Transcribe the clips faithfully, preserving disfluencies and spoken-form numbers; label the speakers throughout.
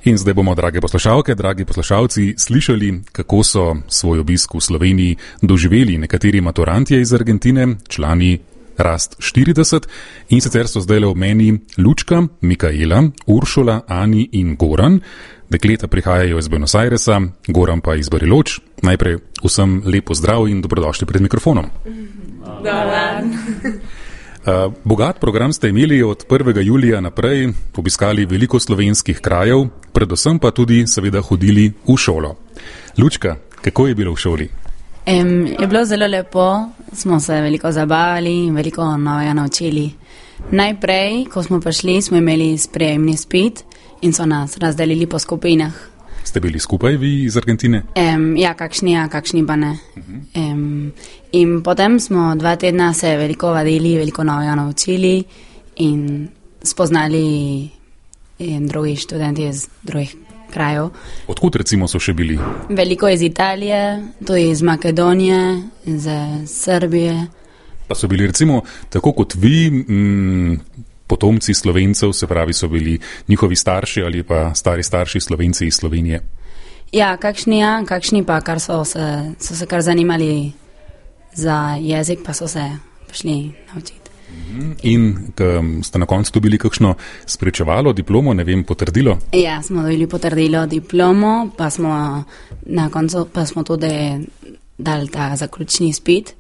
Speaker 1: In zdaj bomo, drage poslušalke, dragi poslušalci, slišali, kako so svoj obisk v Sloveniji doživeli nekateri maturantje iz Argentine, člani Rast štirideset, in sicer so zdaj le v meni Lučka, Mikaela, Uršula, Ani in Goran. Dekleta prihajajo iz Buenos Airesa, Goran pa iz Bariloč. Najprej vsem lepo zdrav in dobrodošli pred mikrofonom. Uh, bogat program ste imeli od prvega julija naprej, obiskali veliko slovenskih krajev, predvsem pa tudi seveda hodili v šolo. Lučka, kako je bilo v šoli?
Speaker 2: Um, je bilo zelo lepo, smo se veliko zabavali in veliko novega naučili. Najprej, ko smo prišli, smo imeli sprejemni izpit in so nas razdelili po skupinah.
Speaker 1: Ste bili skupaj vi iz Argentine?
Speaker 2: Um, ja, kakšni ja, kakšni pa ne. Uh-huh. Um, in potem smo dva tedna se veliko vadili, veliko novega naučili in spoznali in drugi študenti iz drugih krajev.
Speaker 1: Odkud recimo so še bili?
Speaker 2: Veliko iz Italije, tudi iz Makedonije, iz Srbije.
Speaker 1: Pa so bili recimo, tako kot vi, m, potomci Slovencev, se pravi, so bili njihovi starši ali pa stari starši Slovenci iz Slovenije?
Speaker 2: Ja, kakšni ja, kakšni pa, kar so se, so se kar zanimali za jezik, pa so se prišli naučiti.
Speaker 1: In ste na koncu dobili kakšno spričevalo, diplomo, ne vem, potrdilo?
Speaker 2: Ja, smo dobili potrdilo, diplomo, pa smo na koncu pa smo tudi dali ta zaključni izpit,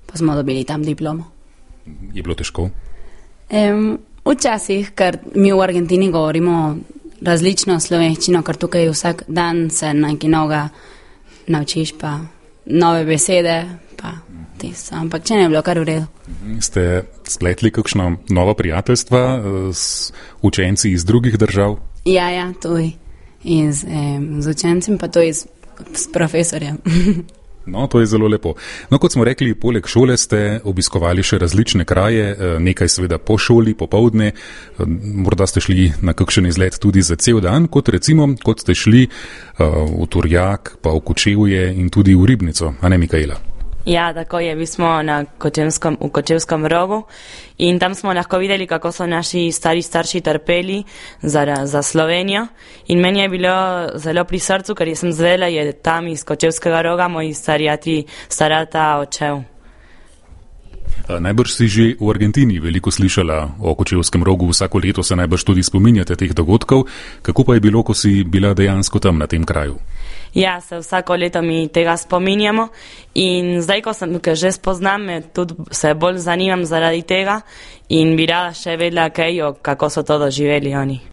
Speaker 2: pa smo dobili tam diplomo.
Speaker 1: Je bilo težko?
Speaker 2: Um, včasih, ker mi v Argentini govorimo različno slovenščino, ker tukaj vsak dan se nekaj novega naučiš, pa nove besede, pa tisto, ampak če ne je bilo kar v redu.
Speaker 1: Ste spletli kakšno novo prijateljstva s učenci iz drugih držav?
Speaker 2: Ja, ja, tudi iz, eh, z učencem, pa tudi s, s profesorjem.
Speaker 1: No, to je zelo lepo. No, kot smo rekli, poleg šole ste obiskovali še različne kraje, nekaj seveda po šoli, popoldne, morda ste šli na kakšen izlet tudi za cel dan, kot recimo, kot ste šli uh, v Turjak, pa v Kočevje in tudi v Ribnico, a ne, Mikaela?
Speaker 3: Ja, tako je, bili smo na Kočevskom, v Kočevskom rogu in tam smo lahko videli, kako so naši stari starši trpeli za, za Slovenijo in meni je bilo zelo pri srcu, ker sem zvedela, je tam iz Kočevskega roga moj starjati, starata očev.
Speaker 1: Najbrž si že v Argentini veliko slišala o Kočevskem rogu, vsako leto se najbrž tudi spominjate teh dogodkov. Kako pa je bilo, ko si bila dejansko tam na tem kraju?
Speaker 3: Ja, se vsako leto mi tega spominjamo in zdaj, ko sem ga že spoznam, tudi se bolj zanimam zaradi tega in bi rada še vedela kaj, kako so to doživeli oni.